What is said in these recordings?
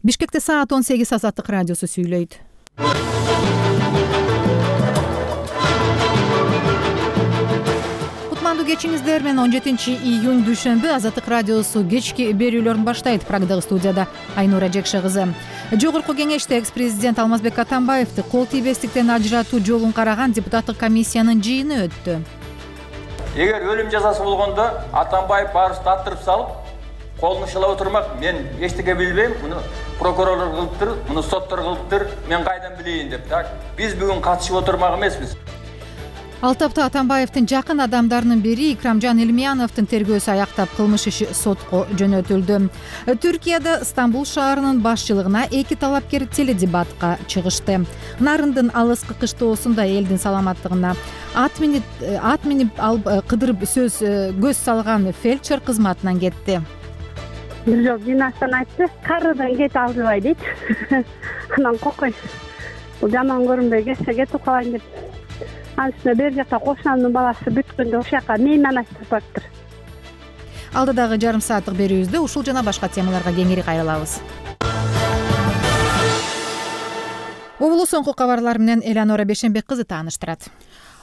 Бишкекте саат 18 Азаттык радиосу сүйлөйт. Кутмандуу кечиңиздер менен 17 июнь дүйшөмбү Азаттык радиосу кечки берүүлөрүн баштайт. Прагдагы студияда Айнура Жекше кызы. Жогорку кеңеште экс-президент Алмазбек Атамбаевди кол тийбестиктен ажыратуу жолун караган депутаттык комиссиянын жыйыны өттү. Эгер өлүм жазасы болгондо Атамбаев баарыбызды аттырып салып, колун шылап отурмак, мен эчтеке билбейм, муну прокурорлор кылыптыр, муну соттор кылыптыр, мен кайдан билейин деп, так. Биз бүгүн катышып отурмак эмеспиз. Ал тапта Атамбаевдин жакын адамдарынын бири Икрамжан Илмияновдун тергөөсү аяктап, кылмыш иши сотко жөнөтүлдү. Түркияда Стамбул шаарынын башчылыгына 2 талапкер теледебатка чыгышты. Нарындын алыскы кыштоосунда элдин саламаттыгына ат минип кыдырып көз салган фельдшер кызматынан кетти. Бир жол жыйнастан айтты, карыдан кет алдыбай дейт. Анан кокой. Бул жаман көрүнбөй кетип калайын деп. Анысында бер жакта кошунамдын баласы бүткөндө ошол жака мейман айтып баптыр. Алдыдагы жарым сааттык берүүбүздө ушул жана башка темаларга кеңири кайрылабыз. Обулу соңку кабарлар менен Элеонора Бешенбек кызы тааныштырат.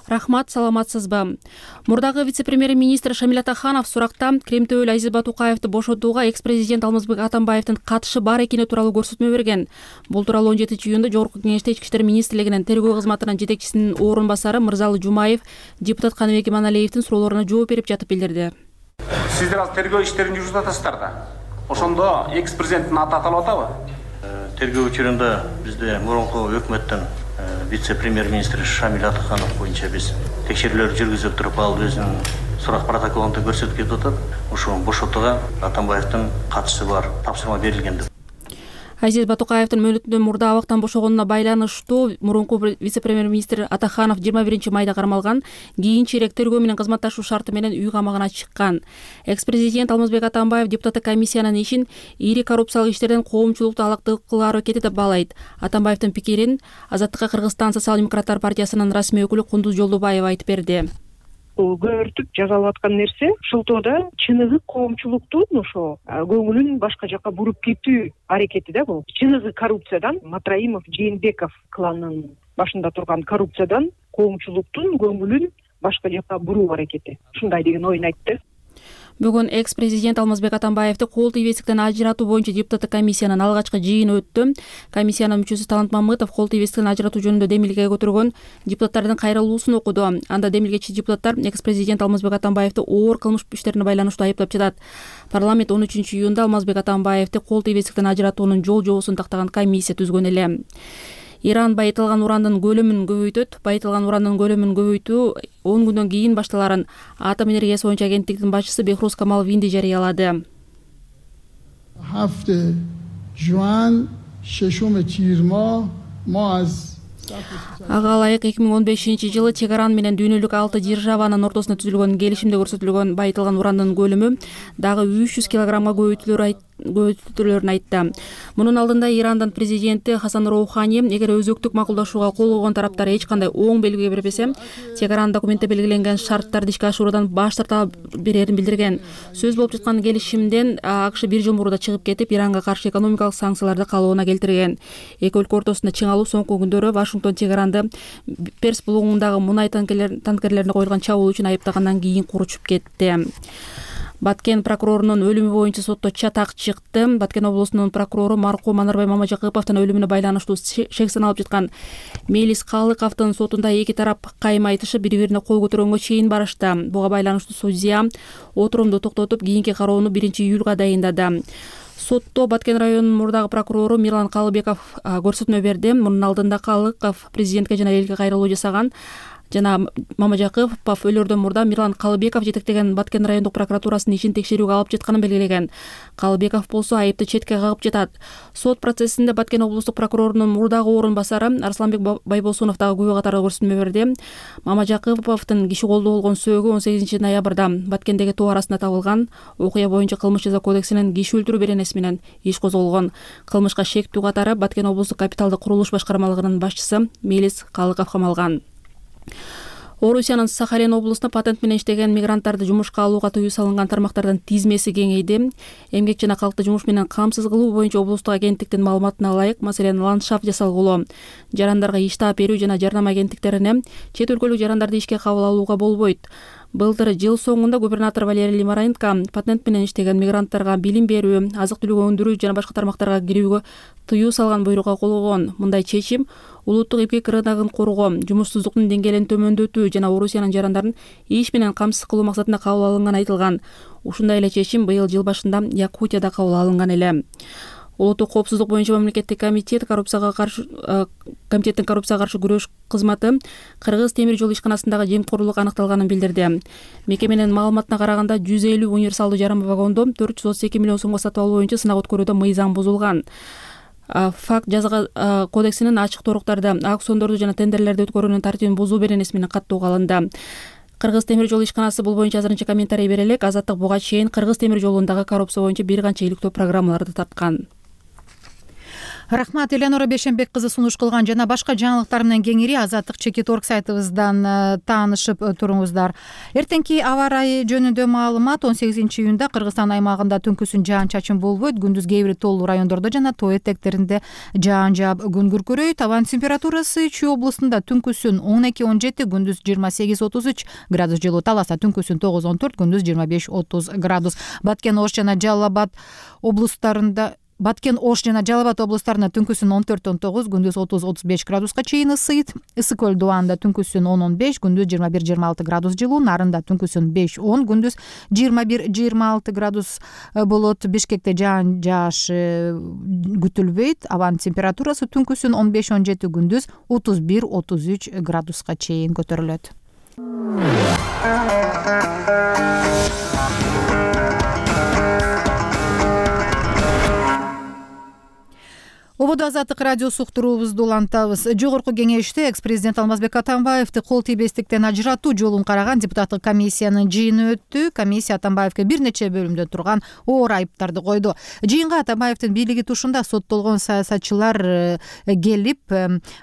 Рахмат, саламатсызбы? Мурдагы вице-премьер-министр Шамил Атаханов суракта Кремтөөлү Азиз Батукаевди бошотууга экс-президент Алмазбек Атамбаевдин катышы бар экени тууралуу көрсөтмө берген. Бул тууралуу 17 июнда Жогорку кеңеште Ички иштер министрлигинин тергөө кызматынын жетекчисинин орун басары Мырзалы Жумаев депутат Каныбек Иманалиевдин суроолоруна жооп берип жатып билдирди. Сиздер азыр тергөө иштерин жүргүзүп атасыздар да. Ошондо экс-президенттин аты аталып атабы? Тергөө учурунда бизде мурунку өкмөттөн вице-премьер-министр Шамил Атаханов боюнча биз текшерүүлөр жүргүзүп туруп, ал өзүнүн сурак протоколунда көрсөтүп кетип атат. Ошол бошотууга Атамбаевдин катышы бар, тапшырма берилген деп. Азиз Батукаевдин мөөнөтүндөн мурда абактан бошогонуна байланыштуу мурунку вице-премьер-министр Атаханов 21 майда кармалган, кийинчерээк тергөө менен кызматташуу шарты менен үй камагына чыккан. Экс-президент Алмазбек Атамбаев депутаттык комиссиянын ишин ири коррупциялык иштерден коомчулукту алактык кылуу аракети деп баалайт. Атамбаевдин пикирин Азаттыкка Кыргызстан социал-демократтар партиясынын расмий өкүлү Кундуз Жолдубаева айтып берди. Көөртүп жазалып аткан нерсе ошолтоодо чыныгы коомчулуктун ошо көңүлүн башка жака буруп кетүү аракети да бул. Чыныгы коррупциядан, Матраимов, Жээнбеков кланынын башында турган коррупциядан коомчулуктун көңүлүн башка жака буруу аракети. Ушундай деген оюн айтты. Бүгүн экс-президент Алмазбек Атамбаевди кол тийбестиктен ажыратуу боюнча депутаттык комиссиянын алгачкы жыйыны өттү. Комиссиянын мүчөсү Талант Мамытов кол тийбестиктен ажыратуу жөнүндө демилге көтөргөн депутаттардын кайрылуусун окуду. Анда демилгечи депутаттар экс-президент Алмазбек Атамбаевди оор кылмыш иштерине байланыштуу айыптап жатат. Парламент 13 июнда Алмазбек Атамбаевди кол тийбестиктен ажыратуунун жол жобосун тактаган комиссия түзгөн эле. Иран байытылган урандын көлөмүн көбөйтөт. Байытылган урандын көлөмүн көбөйтүү 10 күндөн кийин башталарын Атом энергиясы боюнча агенттиктин башчысы Бехруз Камал Винди жарыялады. Ага ылайык 2015-жылы Чегаран менен дүйнөлүк 6 державанын ортосунда түзүлгөн келишимде көрсөтүлгөн байытылган урандын көлөмү дагы 300 килограммга көбөйтүлөрүн айтты. Мунун алдында Ирандан президенти Хасан Роухани эгер өзөктүк макулдашууга кол койгон тараптар эч кандай оң белги бербесе, Чегаран документте белгиленген шарттарды ишке ашыруудан баш тарта берерин билдирген. Сөз болуп жаткан келишимден АКШ 1 жыл мурда чыгып кетип, Иранга каршы экономикалык санкцияларды калыбына келтирген. Эки өлкө ортосунда чың алуу соңку күндөрү Вашингтон Чегаранды Перс булугундагы мунай танкерлерине коюлган чабуул үчүн айыптагандан кийин куручуп кетти. Баткен прокурорунун өлүмү боюнча сотто чатак чыкты. Баткен облусунун прокурору маркум Манарбай Мамажакыповдун өлүмүнө байланыштуу шек саналып жаткан Мелис Калыковдун сотунда эки тарап кайым айтышып, бири-бирине кол көтөргөнгө чейин барышты. Буга байланыштуу судья отурумду токтотуп, кийинки кароону 1 июлга дайындады. Сотто Баткен районунун мурдагы прокурору Мирлан Калыбеков көрсөтмө берди. Мунун алдында Калыков президентке жана элге кайрылуу жасаган. Жана Мамажакыпов өлөрдөн мурда Мирлан Калыбеков жетектеген Баткен райондук прокуратурасынын ишин текшерүүгө алып жатканын белгилеген. Калыбеков болсо айыпты четке кагып жатат. Сот процессинде Баткен облустук прокурорунун мурдагы орун басары Арсланбек Байбосунов дагы күбө катары көрсөтмө берди. Мамажакыповдун киши колдоо болгон сөөгү 18 ноябрда Баткендеги тоо арасында табылган. Окуя боюнча кылмыш жаза кодексинин киши өлтүрүү беренеси менен иш козголгон. Кылмышка шектүү катары Баткен облустук капиталдык курулуш башкармалыгынын башчысы Мелис Калыков камалган. Орусиянын Сахалин облусунда патент менен иштеген мигранттарды жумушка алууга тыюу салынган тармактардын тизмеси кеңейди. Эмгек жана калкты жумуш менен камсыз кылуу боюнча облустук агенттиктин маалыматына ылайык, маселен, ландшафт жасалгылоо, жарандарга иш таап берүү жана жарнама агенттиктерине чет өлкөлүк жарандарды ишке кабыл алууга болбойт. Былтыр жыл соңунда губернатор Валерий Лимаренко патент менен иштеген мигранттарга билим берүү, азык-түлүк өндүрүү жана башка тармактарга кирүүгө тыюу салган буйрукка койгон. Мындай чечим улуттук эмгек рыногун коргоо, жумушсуздуктун деңгээлин төмөндөтүү жана Орусиянын жарандарын иш менен камсыз кылуу максатында кабыл алынганы айтылган. Ушундай эле чечим быйыл жыл башында Якутияда кабыл алынган эле. Улуттук коопсуздук боюнча мамлекеттик комитеттин коррупцияга каршы күрөш кызматы Кыргыз темир жол ишканасындагы жемкорлук анықталганын билдирди. Мекеменин маалыматына караганда 150 универсалдуу жарым вагондо 432 миллион сомго сатып алуу боюнча сынак өткөрүүдө мыйзам бузулган. Факт жаза кодексинин ачык торуктарды, аукциондорду жана тендерлерди өткөрүүнүн тартибин бузуу беренеси менен каттууга алынды. Кыргыз темир жол ишканасы бул боюнча азырынча комментарий бере элек. Азаттык буга чейин Кыргыз темир жолундагы коррупция боюнча бир канча иликтөө программаларды тарткан. Рахмат, Эленора Бешенбек кызы сунуш кылган жана башка жаңылыктар менен кеңири Азаттык Чекит.org сайтыбыздан таанышып туруңуздар. Эртеңки аба ырайы жөнүндө маалымат: 18-июнда Кыргызстан аймагында түнкүсүн жаан-чачын болбойт, күндүз кээ бир тоолуу райондордо жана тоо этектеринде жаан жаап, күн күркүрөйт. Абанын температурасы Чүй облусунда түнкүсүн 12-17, күндүз 28-33 градус жылуу, Таласта түнкүсүн 9-14, күндүз 25-30 градус. Баткен-Ош жана Жалал-Абад облустарында түнкүсүн 14-19, күндүз 30-35 градуска чейин ысыйт. Ысык көл Дубанда түнкүсүн 10-15, күндүз 21-26 градус жылуу, Нарында түнкүсүн 5-10, күндүз 21-26 градус болот. Бишкекте жаан жааш күтүлбөйт. Абанын температурасы түнкүсүн 15-17, күндүз 31-33 градуска чейин көтөрүлөт. Ободо Азаттык радиосу уктуруубузду улантабыз. Жогорку кеңеште экс-президент Алмазбек Атамбаевди кол тийбестиктен ажыратуу жолун караган депутаттык комиссиянын жыйыны өттү. Комиссия Атамбаевге бир нече бөлүмдө турган оор айыптарды койду. Жыйынга Атамбаевдин бийлиги тушунда соттолгон саясатчылар келип,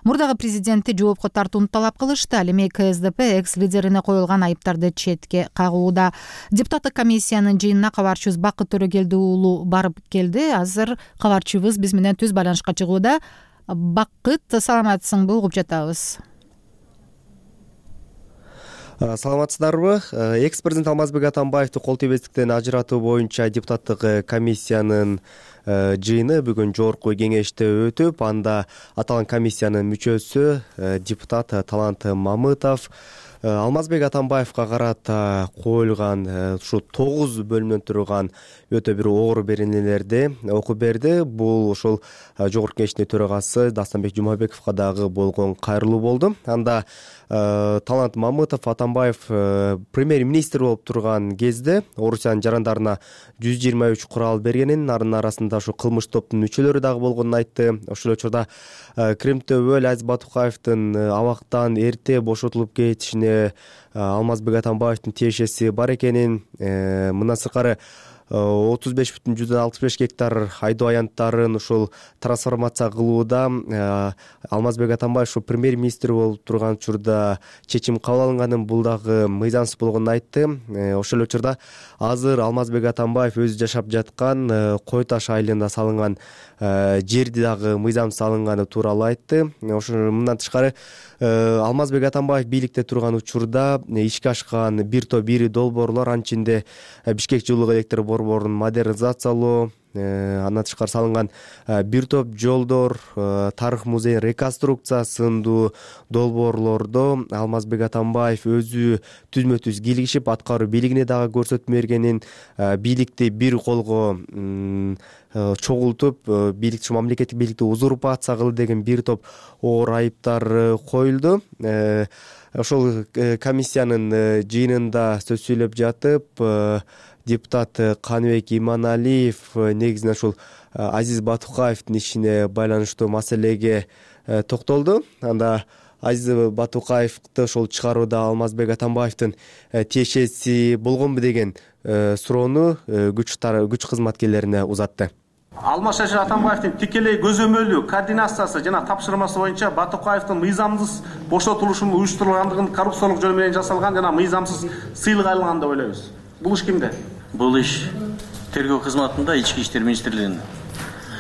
мурдагы президентти жоопко тартууну талап кылышты. Ал эми КСДП экс-лидерине коюлган айыптарды четке кагууда. Депутаттык комиссиянын жыйынына кабарчыбыз Бакыт Төрөгелди уулу барып келди. Азыр кабарчыбыз биз менен түз байланышка чыгууда. Бакыт, саламатсыңбы? Угуп жатабыз. Саламатсыздарбы? Экс-президент Алмазбек Атамбаевди кол тийбестиктен ажыратуу боюнча депутаттык комиссиянын жыйыны бүгүн жогорку кеңеште өтүп, анда аталган комиссиянын мүчөсү депутат Талант Мамытов Алмазбек Атамбаевга карата коюлган ушу 9 бөлүмдөн турган өтө бир оор беренелерди окуп берди. Бул ошол жогорку кеңештин төрагасы Дастанбек Жумабековго дагы болгон кайрылуу болду. Анда Талант Мамытов Атамбаев премьер-министр болуп турган кезде Орусиянын жарандарына 123 курал бергенин, анын арасында ушу кылмыш топтун мүчөлөрү дагы болгонун айтты. Ошол учурда Кремтөбөл Азиз Батукаевдин абактан эрте бошотулуп кетишине Алмазбек Атамбаевдин тиешеси бар экенин, мындан сыркары 35,65 гектар айдоо аянттарын ушул трансформация кылууда Алмазбек Атамбаев ушу премьер-министр болуп турган учурда чечим кабыл алынганын, бул дагы мыйзамсыз болгонун айтты. Ошол учурда азыр Алмазбек Атамбаев өзү жашап жаткан Кой Таш айылында салынган жерди дагы мыйзамсыз алынганы тууралуу айтты. Ошо мындан тышкары Алмазбек Атамбаев бийликте турган учурда ишке ашкан бир топ ири долбоорлор, анын ичинде Бишкек жылуулук электр борборун модернизациялоо, андан тышкары салынган бир топ жолдор, тарых музейин реконструкция сындуу долбоорлордо Алмазбек Атамбаев өзү түзмө-түз кийлигишип, аткаруу бийлигине дагы көрсөтмө бергенин, бийликти бир колго чогултуп, бийликти мамлекеттик бийликти узурпация кылды деген бир топ оор айыптар коюлду. Ошол комиссиянын жыйынында сөз сүйлөп жатып, депутат Каныбек Иманалиев негизинен ушул Азиз Батукаевдин ишине байланыштуу маселеге токтолду. Анда Азиз Батукаевди ошол чыгарууда Алмазбек Атамбаевдин тиешеси болгонбу деген суроону күч кызматкерлерине узатты. Алмазбек Атамбаевдин тикелей көзөмөлү координациясы жана тапшырмасы боюнча Батукаевдин мыйзамсыз бошотулушунун уюштурулгандыгын коррупциялык жол менен жасалган жана мыйзамсыз сыйлык алынган деп ойлойбуз. Бул иш кимде? Бул иш тергөө кызматында Ички иштер министрлигинин.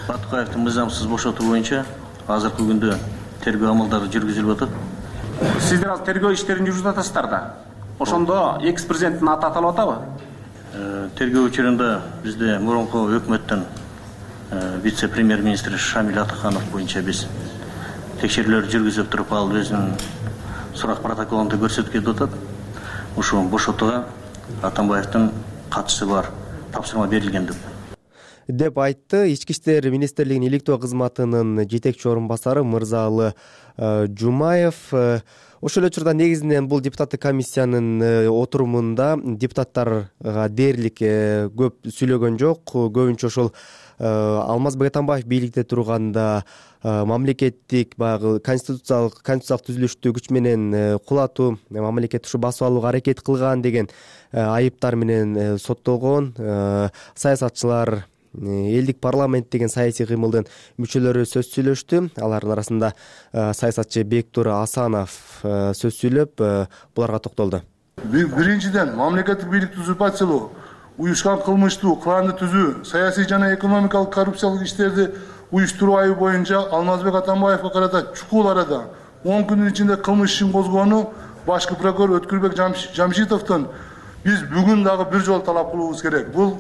Батукаевдин мыйзамсыз бошотуу боюнча азыркы күндө тергөө амалдары жүргүзүлүп атат. Сиздер азыр тергөө иштерин жүргүзүп атасыздар да. Ошондо экс-президенттин аты аталып атабы? Тергөө учурунда бизде мурунку өкмөттөн вице-премьер-министр Шамил Атаханов боюнча биз текшерүүлөр жүргүзүп туруп, ал өзүнүн сурак протоколунда көрсөткөн атат. Ушул бошотууга Атамбаевдин катышы бар, тапшырма берилген деп айтты Ички иштер министрлигинин иликтөө кызматынын жетекчи орун басары Мырзалы Жумаев. Ошол эле учурда негизинен бул депутаттык комиссиянын отурумунда депутаттарга дээрлик көп сүйлөгөн жок. Көбүнчө ошол Алмазбек Атамбаев бийликте турганда мамлекеттик баягы конституциялык түзүлүштү күч менен кулатуу, мамлекетти ушу басып алууга аракет кылган деген айыптар менен соттолгон. Саясатчылар, элдик парламент деген саясий кыймылдын мүчөлөрү сөз сүйлөштү. Алардын арасында саясатчы Бектур Асанов сөз сүйлөп, буларга токтолду. Биринчиден, мамлекеттик бийликти узурпациялоо, уюшкан кылмыштуу кланды түзүү, саясий жана экономикалык коррупциялык иштерди уюштуруу айыбы боюнча Алмазбек Атамбаевга карата чукул арада 10 күндүн ичинде кылмыш ишин козгоону башкы прокурор Өткүрбек Жамшитовдон биз бүгүн дагы бир жолу талап кылуубуз керек. Бул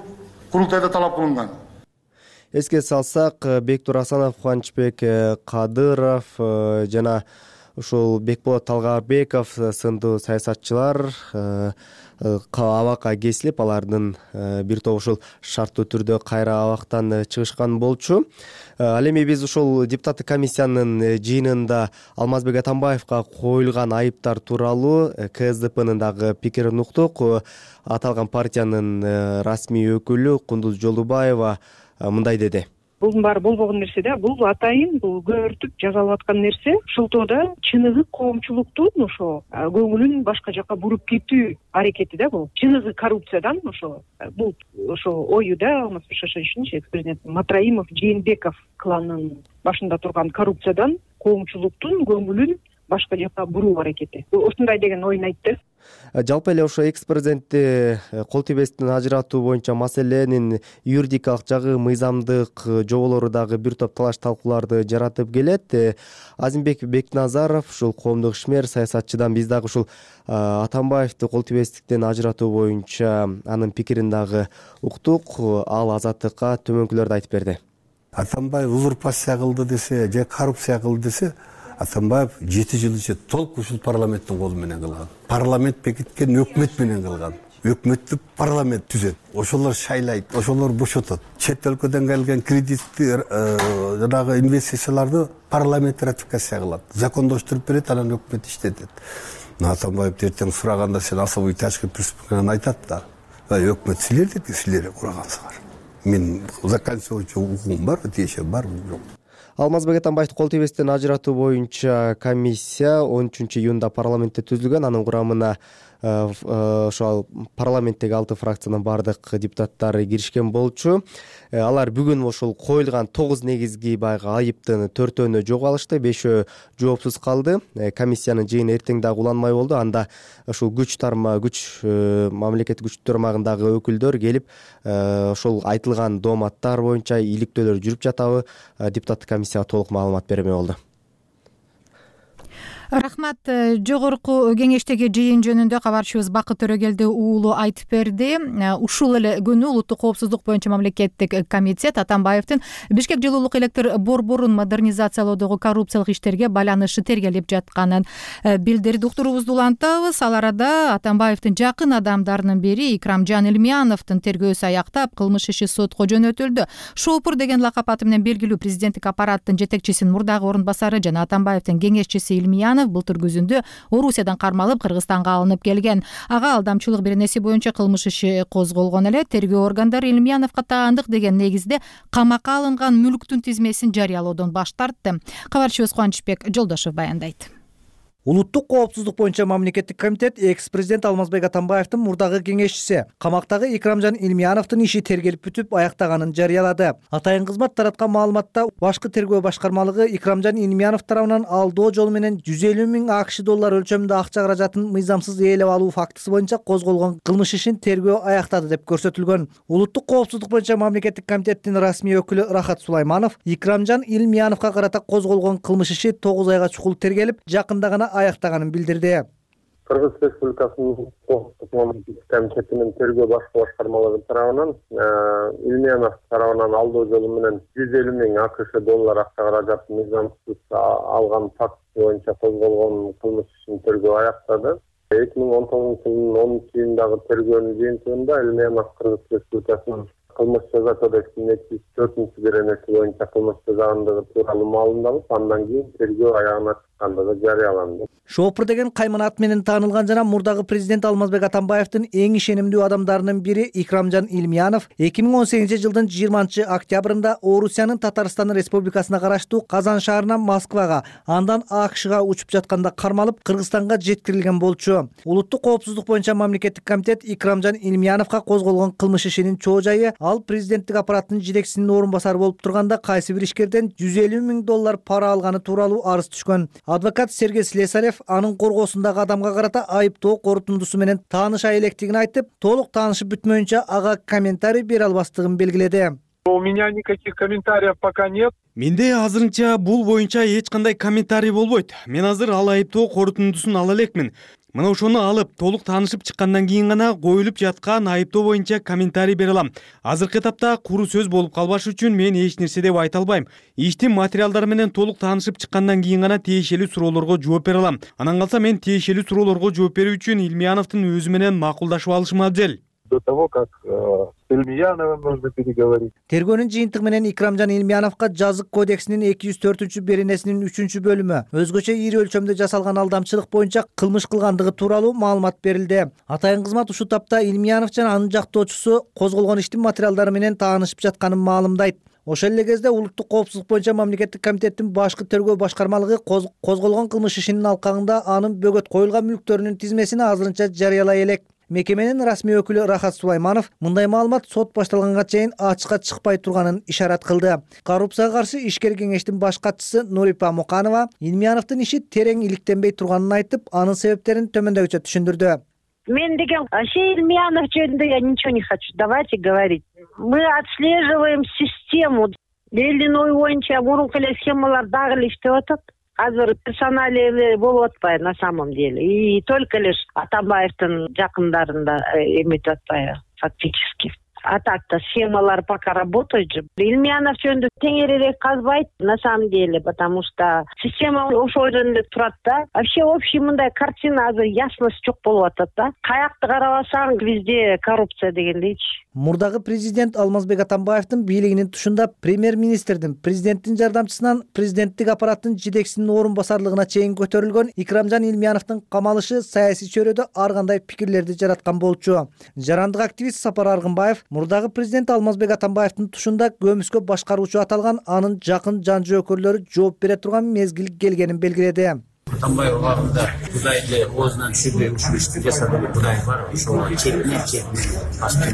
курултайда талап кылынган. Эске салсак, Бектур Асанов, Кубанычбек Кадыров жана ушул Бекболот Талгарбеков сындуу саясатчылар абакка кесилип, алардын бир тобу ушул шарттуу түрдө кайра абактан чыгышкан болчу. Ал эми биз ушул депутаттык комиссиянын жыйынында Алмазбек Атамбаевга коюлган айыптар тууралуу КСДПнын дагы пикирин уктук. Аталган партиянын расмий өкүлү Кундуз Жолубаева мындай деди. Бул баары болбогон нерсе да, бул атайын, бул көбүртүп жазалып аткан нерсе. Ошолтоодо чыныгы коомчулуктун ошо көңүлүн башка жака буруп кетүү аракети да бул. Чыныгы коррупциядан ошо бул ошо ою да Алмазбек Шашевичтин экс-президент Матраимов, Жээнбеков кланынын башында турган коррупциядан коомчулуктун көңүлүн башка жака буруу аракети. Ушундай деген оюн айтты. Жалпы эле ошо экс-президентти кол тийбестен ажыратуу боюнча маселенин юридикалык жагы, мыйзамдык жоболору дагы бир топ талаш талкууларды жаратып келет. Азимбек Бекназаров, ушул коомдук ишмер, саясатчыдан биз дагы ушул Атамбаевди кол тийбестиктен ажыратуу боюнча анын пикирин дагы уктук. Ал Азаттыкка төмөнкүлөрдү айтып берди. Атамбаев узурпация кылды десе, же коррупция кылды десе, Атамбаев 7 жыл ичинде толук ушул парламенттин колу менен кылган. Парламент бекиткен өкмөт менен кылган. Өкмөттүк парламент түзөт. Ошолор шайлайт, ошолор бошотот. Чет өлкөдөн келген кредитти жанагы инвестицияларды парламент ратификация кылат. Закондоштуруп берет, анан өкмөт иштетет. Атамбаев эртең сураганда сен особый тяжкий преступление айтат да. Өкмөт силер курагансыңар. Мен закончу укугум бар, тиешем бар, жок. Алмазбек Атамбаевди кол тийбестен ажыратуу боюнча комиссия 13 июнда парламентте түзүлгөн. Анын курамына ошол парламенттеги 6 фракциянын бардык депутаттары киришкен болчу. Алар бүгүн ошол коюлган 9 негизги баягы айыптын 4-өөнө жок алышты, 5-өө жоопсуз калды. Комиссиянын жыйыны эртең дагы уланмай болду. Анда ушул мамлекеттик күч тармагындагы өкүлдөр келип, ошол айтылган дооматтар боюнча иликтөөлөр жүрүп жатабы, депутаттык комиссияга толук маалымат бермей болду. Рахмат. Жогорку кеңештеги жыйын жөнүндө кабарчыбыз Бакыт Төрөгелди уулу айтып берди. Ушул эле күнү улуттук коопсуздук боюнча мамлекеттик комитет Атамбаевдин Бишкек жылуулук электр борборун модернизациялоодогу коррупциялык иштерге байланышы тергелип жатканын билдирди. Уктуруубузду улантабыз. Ал арада Атамбаевдин жакын адамдарынын бири Икрамжан Илмияновдун тергөөсү аяктап, кылмыш иши сотко жөнөтүлдү. Шопур деген лакап аты менен белгилүү президенттик аппараттын жетекчисинин мурдагы орун басары жана Атамбаевдин кеңешчиси Илмиянов былтыр күзүндө Орусиядан кармалып Кыргызстанга алынып келген. Ага алдамчылык беренеси боюнча кылмыш иши козголгон эле. Тергөө органдары Илмияновго таандык деген негизде камакка алынган мүлктүн тизмесин жарыялоодон баш тартты. Кабарчыбыз Кубанычбек Жолдошов баяндайт. Улуттук коопсуздук боюнча мамлекеттик комитет экс-президент Алмазбек Атамбаевдин мурдагы кеңешчиси камактагы Икрамжан Илмияновдун иши тергелип бүтүп аяктаганын жарыялады. Атайын кызмат тараткан маалыматта башкы тергөө башкармалыгы Икрамжан Илмиянов тарабынан алдоо жолу менен 150 миң АКШ доллар өлчөмүндө акча каражатын мыйзамсыз ээлеп алуу фактысы боюнча козголгон кылмыш ишин тергөө аяктады деп көрсөтүлгөн. Улуттук коопсуздук боюнча мамлекеттик комитеттин расмий өкүлү Рахат Сулайманов Икрамжан Илмияновго карата козголгон кылмыш иши 9 айга чукул тергелип, жакында гана аяктаганын билдирди. Кыргыз Республикасынын коопсуздук мамлекеттик комитетинин тергөө башкы башкармалыгы тарабынан Илмиянов тарабынан алдоо жолу менен 150 миң АКШ доллар акча каражатын мыйзамсыз алган фактысы боюнча козголгон кылмыш ишин тергөө аяктады. 2019 жылдын 10-июндагы тергөөнүн жыйынтыгында Илмиянов Кыргыз Республикасынын кылмыш жаза кодексинин 204 беренеси боюнча кылмыш жазгандыгы тууралуу маалымдалып, андан кийин тергөө аягына чыккандыгы жарыяланды. Шопур деген кайман ат менен таанылган жана мурдагы президент Алмазбек Атамбаевдин эң ишенимдүү адамдарынын бири Икрамжан Илмиянов 2018 жылдын 20 октябрында Орусиянын Татарстан Республикасына караштуу Казан шаарынан Москвага, андан АКШга учуп жатканда кармалып, Кыргызстанга жеткирилген болчу. Улуттук коопсуздук боюнча мамлекеттик комитет Икрамжан Илмияновго козголгон кылмыш ишинин чоо жайы ал президенттик аппараттын жетекчисинин орун басары болуп турганда кайсы бир ишкерден 150 миң доллар пара алганы тууралуу арыз түшкөн. Адвокат Сергей Слесарев анын коргоосундагы адамга карата айыптоо корутундусу менен тааныша электигин айтып, толук таанышып бүтмөйүнчө ага комментарий бере албастыгын белгиледи. У меня никаких комментариев пока нет. Менде азырынча бул боюнча эч кандай комментарий болбойт. Мен азыр ал айыптоо корутундусун ала элекмин. Мына ошону алып, толук таанышып чыккандан кийин гана коюлуп жаткан айыптоо боюнча комментарий бере алам. Азыркы этапта куру сөз болуп калбаш үчүн мен эч нерсе деп айта албайм. Иштин материалдары менен толук таанышып чыккандан кийин гана тиешелүү суроолорго жооп бере алам. Анан калса мен тиешелүү суроолорго жооп берүү үчүн Илмияновдун өзү менен макулдашып алышым абзел. До того, как с Илмияновым нужно переговорить. Тергөөнүн жыйынтыгы менен Икрамжан Илмияновго жазык кодексинин 204 беренесинин 3-бөлүмү өзгөчө ири өлчөмдө жасалган алдамчылык боюнча кылмыш кылгандыгы тууралуу маалымат берилди. Атайын кызмат ушул тапта Илмиянов жана анын жактоочусу козголгон иштин материалдары менен таанышып жатканын маалымдайт. Ошол эле кезде улуттук коопсуздук боюнча мамлекеттик комитеттин башкы тергөө башкармалыгы козголгон кылмыш ишинин алкагында анын бөгөт коюлган мүлктөрүнүн тизмесин азырынча жарыялай элек. Мекеменин расмий өкүлү Рахат Сулайманов мындай маалымат сот башталганга чейин ачыкка чыкпай турганын ишарат кылды. Коррупцияга каршы ишкер кеңештин баш катчысы Нурипа Муканова Илмияновдун иши терең иликтенбей турганын айтып, анын себептерин төмөндөгүчө түшүндүрдү. Мен деген Илмиянов жөнүндө я ничего не хочу. Давайте говорить. Мы отслеживаем систему. Элдин ою боюнча мурунку эле схемалар дагы эле иштеп атат. Азыр персоналиялар болуп атпайбы на самом деле. И только лишь Атамбаевдин жакындарында эметип атпайбы фактически. А так-то схемалар пока работают же. Илмиянов жөнүндө теңирээк казбайт на самом деле, потому что система ошол жерде турат да. Вообще общий мындай картина азыр ясность жок болуп атат да. Каякты карабасаң везде коррупция дегендейчи. Мурдагы президент Алмазбек Атамбаевдин бийлигинин тушунда премьер-министрдин, президенттин жардамчысынан президенттик аппараттын жетекчисинин орун басарлыгына чейин көтөрүлгөн Икрамжан Илмияновдун камалышы саясий чөйрөдө ар кандай пикирлерди жараткан болчу. Жарандык активист Сапар Аргынбаев мурдагы президент Алмазбек Атамбаевдин тушунда көмүскө башкаруучу аталган анын жакын жан жөөкөрлөрү жооп бере турган мезгил келгенин белгиледи. Атамбаев убагында Кудайды оозунан түшүрбөй ушул ишти жасады деп Кудай бар. Ошол чекинен башка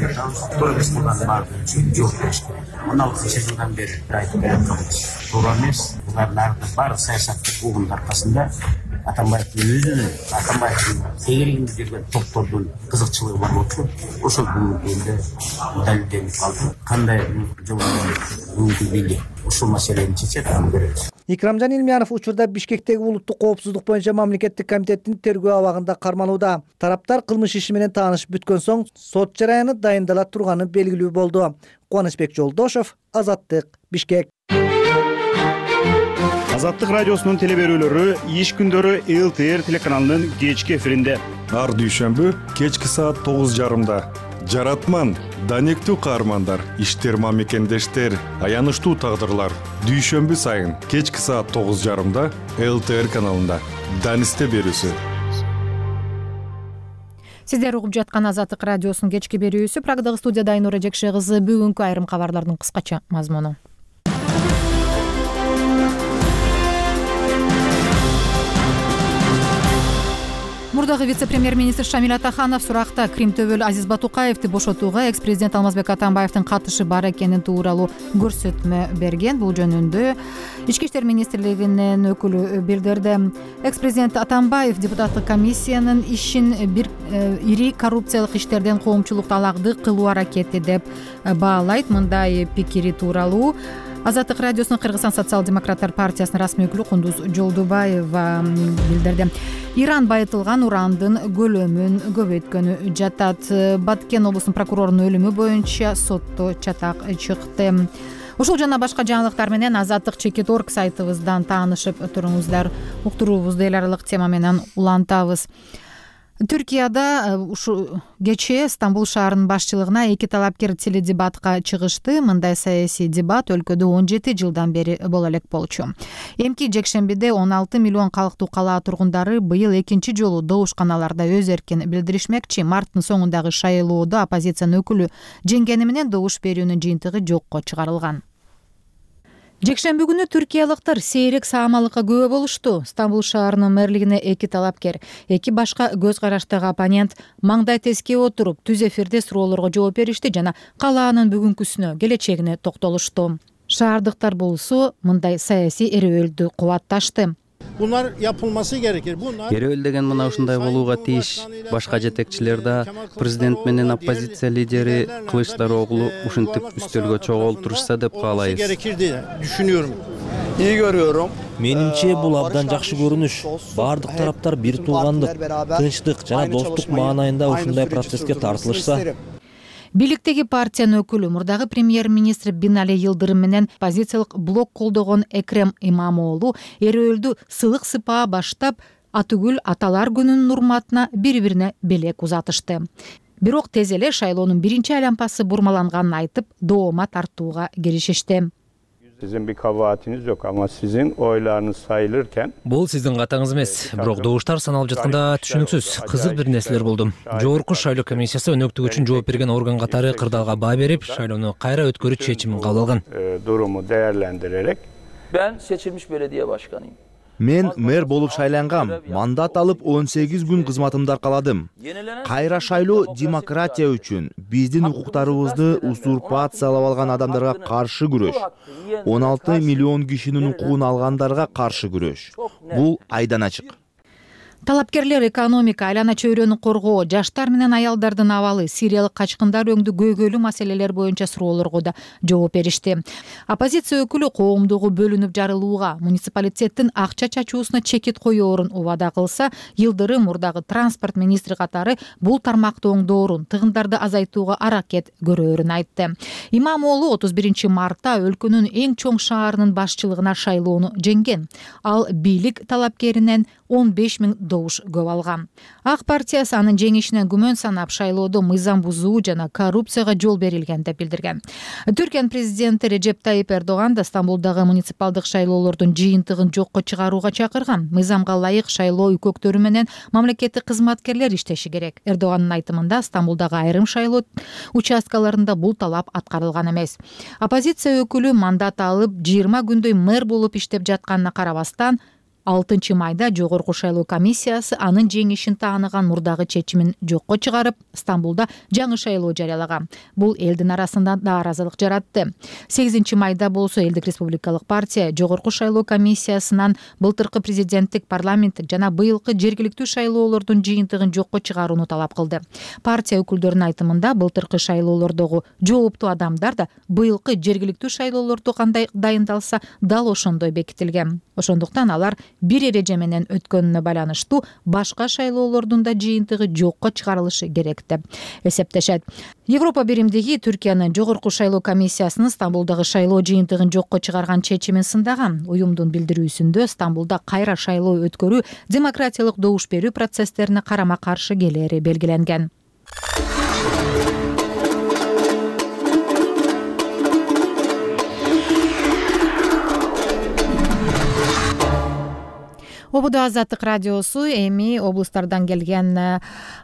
төрөбүз кылган баардыгын жооп беришти. 16 жылдан бери айтып келатканбыз. Туура эмес. Булардын баардык саясаттык угумдун аркасында Атамбаевдин өзүнүн, Атамбаевдин тегерегинде жүргөн топтордун кызыкчылыгы бар болчу. Ошол бүгүнкү далилденип калды. Кандай жол бүгүнкү бийлик ушул маселени чечет, аны көрөбүз. Икрамжан Илмиянов учурда Бишкектеги улуттук коопсуздук боюнча мамлекеттик комитеттин тергөө абагында кармалууда. Тараптар кылмыш иши менен таанышып бүткөн соң сот жараяны дайындала турганы белгилүү болду. Кубанычбек Жолдошов, Азаттык, Бишкек. Азаттык радиосунун телеберүүлөрү иш күндөрү ЛТР телеканалынын кечки эфиринде. Ар дүйшөмбү кечки саат 9:30. Жаратман, данектүү каармандар, иштерма мекендештер, аянычтуу тагдырлар. Дүйшөмбү сайын кечки саат 9:30 ЛТР каналында. Данисте берүүсү. Сиздер угуп жаткан Азаттык радиосунун кечки берүүсү. Прагдагы студияда Айнура Жекше кызы. Бүгүнкү айрым кабарлардын кыскача мазмуну. мурдагы вице-премьер-министр Шамиль Атаханов суракта Крим төбөлү Азиз Батукаевди бошотууга экс-президент Алмазбек Атамбаевдин катышы бар экени тууралуу көрсөтмө берген. Бул жөнүндө Ички иштер министрлигинин өкүлү билдирди. Экс-президент Атамбаев депутаттык комиссиянын ишин бир ири коррупциялык иштерден коомчулук талакты кылуу аракети деп баалайт. Мындай пикири тууралуу Азаттык радиосунун Кыргызстан социал-демократтар партиясынын расмий өкүлү Кундуз Жолдубаева билдирди. Иран байытылган урандын көлөмүн көбөйткөнү жатат. Баткен облусунун прокурорунун өлүмү боюнча сотто чатак чыкты. Ушул жана башка жаңылыктар менен Азаттык Чекит.орг сайтыбыздан таанышып туруңуздар. Уктуруубузду эл аралык тема менен улантабыз. Түркияда ушу кечээ Стамбул шаарынын башчылыгына эки талапкер теледебатка чыгышты. Мындай саясий дебат өлкөдө 17 жылдан бери боло элек болчу. Эмки жекшембиде 16 миллион калктуу калаа тургундары быйыл экинчи жолу добушканаларда өз эркин билдиришмекчи. Марттын соңундагы шайлоодо оппозициянын өкүлү жеңгени менен добуш берүүнүн жыйынтыгы жокко чыгарылган. Жекшемби күнү түркиялыктар сейрек саамалыкка күбө болушту. Стамбул шаарынын мэрлигине эки талапкер, эки башка көз караштагы оппонент маңдай теске отуруп түз эфирде суроолорго жооп беришти жана калаанын бүгүнкүсүнө, келечегине токтолушту. Шаардыктар болсо мындай саясий эрөөлдү кубатташты. Bunlar yapılması gerekir. Эрөөл деген мына ушундай болууга тийиш. Башка жетекчилер да президент менен оппозиция лидери Кылычдароглу ушинтип үстөлгө чогултурушса деп каалайбыз. İyi görüyorum. Менимче бул абдан жакшы көрүнүш. Бардык тараптар бир туугандык, тынчтык жана достук маанайында ушундай процесске тартылышса. Бийликтеги партиянын өкүлү мурдагы премьер-министр Бинали Йылдырым менен оппозициялык блок колдогон Экрем Имамоğlu эрөөлдү сылык сыпаа баштап Атүгүл Аталар күнүнүн урматына бири-бирине белек узатышты. Бирок тез эле шайлоонун биринчи айлампасы бурмаланганын айтып, доoma тартууга киришишти. Sizin bir kabahatiniz yok ama sizin oylarınız sayılırken Бул сиздин катаңыз эмес, бирок добуштар саналып жатканда түшүнүксүз, кызык бир нерселер болду. Жогорку шайлоо комиссиясы өнөктүк үчүн жооп берген орган катары кырдаалга баа берип, шайлоону кайра өткөрүү чечимин кабыл алган. Durumu değerlendirerek Ben seçilmiş belediye başkanıyım. Мен мэр болуп шайлангам. Мандат алып 18 күн кызматымды аркаладым. Кайра шайлоо демократия үчүн, биздин укуктарыбызды узурпациялап алган адамдарга каршы күрөш. 16 миллион кишинин укугун алгандарга каршы күрөш. Бул айдан ачык. Талапкерлер экономика, айлана чөйрөнү коргоо, жаштар менен аялдардын абалы, сириялык качкындар өңдү көйгөйлүү маселелер боюнча суроолорго да жооп беришти. Оппозиция өкүлү коомдугу бөлүнүп жарылууга, муниципалитеттин акча чачуусуна чекит коёорун убада кылса, Йылдырым мурдагы транспорт министри катары бул тармакты оңдоорун, тыгындарды азайтууга аракет көрөөрүн айтты. Имамоğlu 31 мартта өлкөнүн эң чоң шаарынын башчылыгына шайлоону жеңген. Ал бийлик талапкеринен 15 000 добуш көп алган. Ак партиясы анын жеңишинен күмөн санап, шайлоодо мыйзам бузуу жана коррупцияга жол берилген деп билдирген. Түркиянын президенти Режеп Тайип Эрдоган да Стамбулдагы муниципалдык шайлоолордун жыйынтыгын жокко чыгарууга чакырган. Мыйзамга ылайык шайлоо үкөктөрү менен мамлекеттик кызматкерлер иштеши керек. Эрдогандын айтымында Стамбулдагы айрым шайлоо участкаларында бул талап аткарылган эмес. Оппозиция өкүлү мандат алып 20 күндөй мэр болуп иштеп жатканына карабастан, 6 майда жогорку шайлоо комиссиясы анын жеңишин тааныган мурдагы чечимин жокко чыгарып, Стамбулда жаңы шайлоо жарыялаган. Бул элдин арасында нааразылык жаратты. 8 майда болсо Элдик республикалык партия жогорку шайлоо комиссиясынан былтыркы президенттик, парламенттик жана быйылкы жергиликтүү шайлоолордун жыйынтыгын жокко чыгарууну талап кылды. Партия өкүлдөрүнүн айтымында былтыркы шайлоолордогу жооптуу адамдар да быйылкы жергиликтүү шайлоолордо кандай дайындалса, дал ошондой бекитилген. Ошондуктан алар бир эреже менен өткөнүнө байланыштуу башка шайлоолордун да жыйынтыгы жокко чыгарылышы керек деп эсептешет. Европа биримдиги Түркиянын жогорку шайлоо комиссиясынын Стамбулдагы шайлоо жыйынтыгын жокко чыгарган чечимин сындаган. Уюмдун билдирүүсүндө Стамбулда кайра шайлоо өткөрүү демократиялык добуш берүү процесстерине карама каршы келери белгиленген. Ободо Азаттык радиосу эми облустардан келген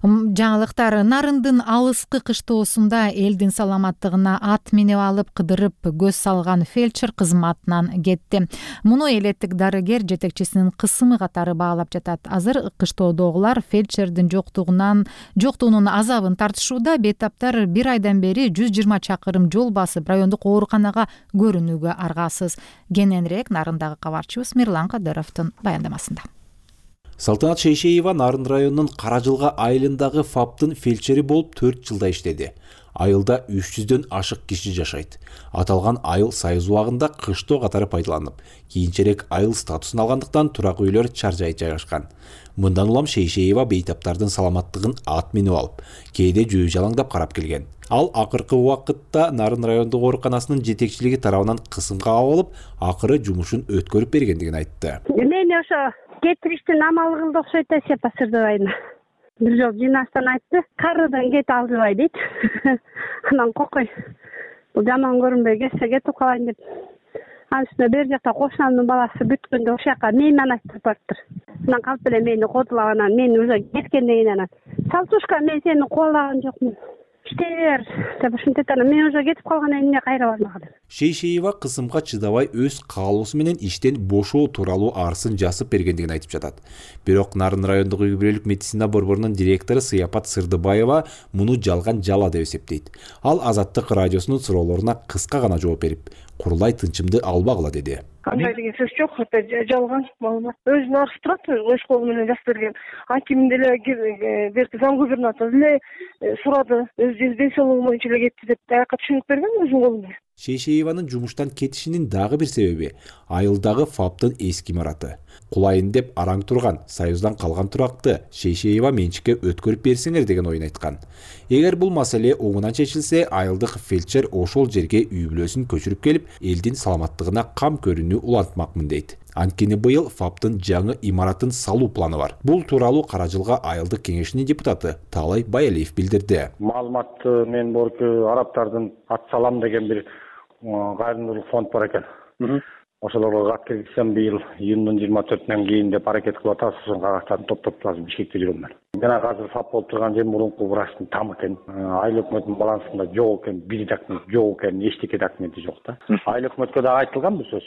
жаңылыктар. Нарындын алыскы кыштоосунда элдин саламаттыгына ат минип алып кыдырып көз салган фельдшер кызматынан кетти. Муну элеттик дарыгер жетекчисинин кысымы катары баалап жатат. Азыр кыштоодогулар фельдшердин жоктугунун азабын тартышууда. Бейтаптар бир айдан бери 120 чакырым жол басып райондук ооруканага көрүнүүгө аргасыз. Кененирээк Нарындагы кабарчыбыз Мирлан Кадыровдун баяндамасында. Салтанат Шейшеева Нарын районунун Каражылга айылындагы ФАПтын фельдшери болуп 4 жылда иштеди. Айылда 300дөн ашык киши жашайт. Аталган айыл Союз убагында кыштоо катары пайдаланып, кийинчерээк айыл статусун алгандыктан турак үйлөр чаржай жайгашкан. Мындан улам Шейшеева бейтаптардын саламаттыгын ат минип алып, кээде жөө жалаңдап карап келген. Ал акыркы убакытта Нарын райондук ооруканасынын жетекчилиги тарабынан кысымга алып, акыры жумушун өткөрүп бергендигин айтты. Мен ошо кетириштин амалы кылды окшойт да Сепа Сырдыбайына. Бир жол жыйнастан айтты, карыдан кет албай дейт. Анан кокой. Бул жаман көрүнбөй кетсе кетип калайын деп. Анын үстүнө бер жакта кошунамдын баласы бүткөндө ошол жака мейман айтып барыптыр. Анан калп эле мени кодулап, анан мен уже кеткенден кийин анан Салтушка, мен сени коолаган жокмун. Иштер деп ушинтет, анан мен уже кетип калгандан кийин кайра бармаган. Шейшеева кысымга чыдабай өз каалоосу менен иштен бошоо тууралуу арызын жазып бергендигин айтып жатат. Бирок Нарын райондук үй бүлөлүк медицина борборунун директору Сыяпат Сырдыбаева муну жалган жала деп эсептейт. Ал Азаттык радиосунун суроолоруна кыска гана жооп берип, курулай тынчымды албагыла деди. Кандай деген сөз жок, это жалган маалымат. Өзүнүн арызы турат, өз колу менен жазып берген. Аким деле берди, зам губернатор деле сурады, өз ден соолугу боюнча эле кетти деп аяка түшүнүк берген өзүнүн колу менен. Шейшееванын жумуштан кетишинин дагы бир себеби айылдагы ФАПтын эски имараты. Кулайын деп араң турган Союздан калган туракты Шейшеева менчикке өткөрүп берсеңер деген оюн айткан. Эгер бул маселе оңунан чечилсе, айылдык фельдшер ошол жерге үй бүлөсүн көчүрүп келип, элдин саламаттыгына кам көрүүнү улантмакмын дейт. Анткени быйыл ФАПтын жаңы имаратын салуу планы бар. Бул тууралуу Каражылга айылдык кеңешинин депутаты Талай Баялиев билдирди. Маалыматты мен борку араптардын ат салам деген бир кайрымдуулук фонд бар экен. Ошолорго кат киргизсем быйыл июндун 24-нөн кийин деп аракет кылып атабыз. Ошол кагактарды топтоп азыр Бишкекте жүрөм мен. Жана азыр ФАП болуп турган жер мурунку врачтын тамы экен. Айыл өкмөтүнүн балансында жок экен, бир документ жок экен, эчтеке документи жок да. Айыл өкмөткө дагы айтылган бул сөз.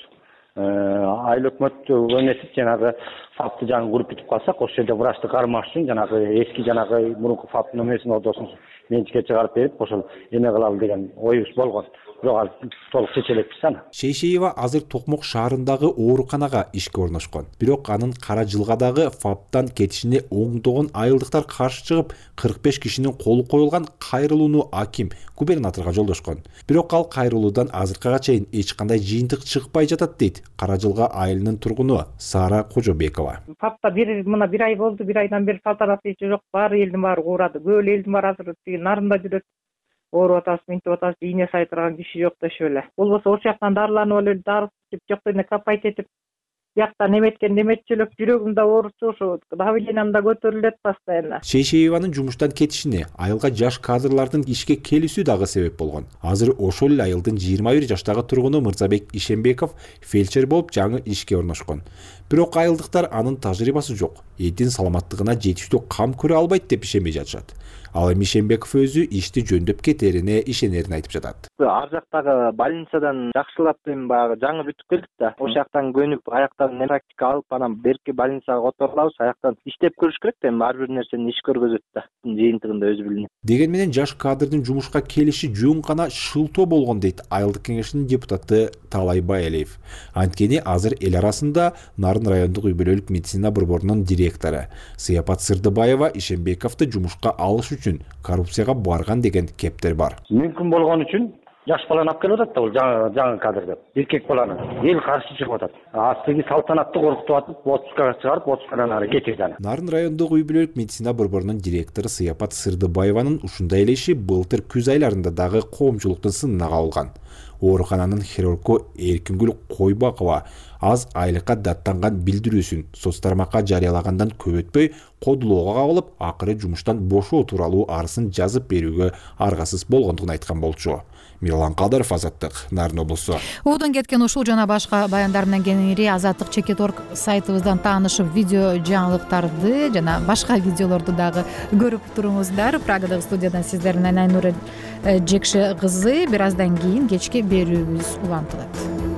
Айыл өкмөт өнесип жанагы ФАПты жаңы куруп бүтүп калсак, ошол жерде врачты кармаш үчүн жанагы эски жанагы мурунку ФАПтын өмесин одосун менчикке чыгарып берип, ошол эме кылалы деген оюбуз болгон. Бирок толук чечелекпиз аны. Шейшеева азыр Токмок шаарындагы ооруканага ишке орношкон. Бирок анын Каражылгадагы ФАПтан кетишине оңдогон айылдыктар каршы чыгып, 45 кишинин колу коюлган кайрылууну аким губернаторго жолдошкон. Бирок ал кайрылуудан азыркыга чейин эч кандай жыйынтык чыкпай жатат дейт Каражылга айылынын тургуну Сара Кожобекова. ФАПта мына бир ай болду, бир айдан бери салтанат ичи жок, баары элдин баары уурады. Көп элдин баары азыр Нарында жүрөт. Ооруп атабыз, минтип атабыз, ийне сайтырган киши жок дешип эле. Болбосо ошол жактан дарыланып эле, дары ичип, жок дене капайт этип, жактан эметкен эметчүлүк, жүрөгүм да оорусу, ошо давлениям да көтөрүлөт постоянно. Шейшееванын жумуштан кетишине айылга жаш кадрлардын ишке келүүсү дагы себеп болгон. Азыр ошол эле айылдын 21 жаштагы тургуну Мырзабек Ишембеков фельдшер болуп жаңы ишке орношкон. Бирок айылдыктар анын тажрыйбасы жок, элдин саламаттыгына жетиштүү кам көрө албайт деп ишенбей жатышат. Ал эми Ишембеков өзү ишти жөндөп кетерине ишенерин айтып жатат. Ар жактагы больницадан жакшылап баягы жаңы бүтүп келдик да. Ошол жактан көнүп, аяктан практика алып, анан берки больницага которулабыз, аяктан иштеп көрүш керек да, ар бир нерсени иш көргөзөт да. Жыйынтыгында өзү билинет. Деген менен жаш кадрдын жумушка келиши жөн гана шылтоо болгон дейт айылдык кеңешинин депутаты Талай Баялиев. Анткени азыр эл арасында Нарын райондук үй бүлөлүк медицина борборунун директору Сыяпат Сырдыбаева Ишембековду жумушка алыш үчүн коррупцияга барган деген кептер бар. Мүмкүн болгон үчүн жаш баланы алып келип атат да, бул жаңы кадр деп. Эркек баланы эл каршы чыгып атат. Астыгы салтанатты коркутуп атып, отпускага чыгарып, отпускадан ары кетирди аны. Нарын райондук үй бүлөлүк медицина борборунун директору Сыяпат Сырдыбаеванын ушундай эле иши былтыр күз айларында дагы коомчулуктун сынына кабылган. Оорукананын хирургу Эркингүл Койбакова аз айлыкка даттанган билдирүүсүн соц тармакка жарыялагандан көп өтпөй кодулоого кабылып, акыры жумуштан бошоо тууралуу арызын жазып берүүгө аргасыз болгондугун айткан болчу. Милан Кадыров, Азаттык, Нарын облусу. Обдон кеткен ушул жана башка баяндар менен кеңири Азаттык.org сайтыбыздан таанышып, видео жаңылыктарды жана башка видеолорду дагы көрүп туруңуздар. Прагадагы студиядан сиздердин Айнура Жекше кызы. Бир аздан кийин кечки берүүбүз улантылат.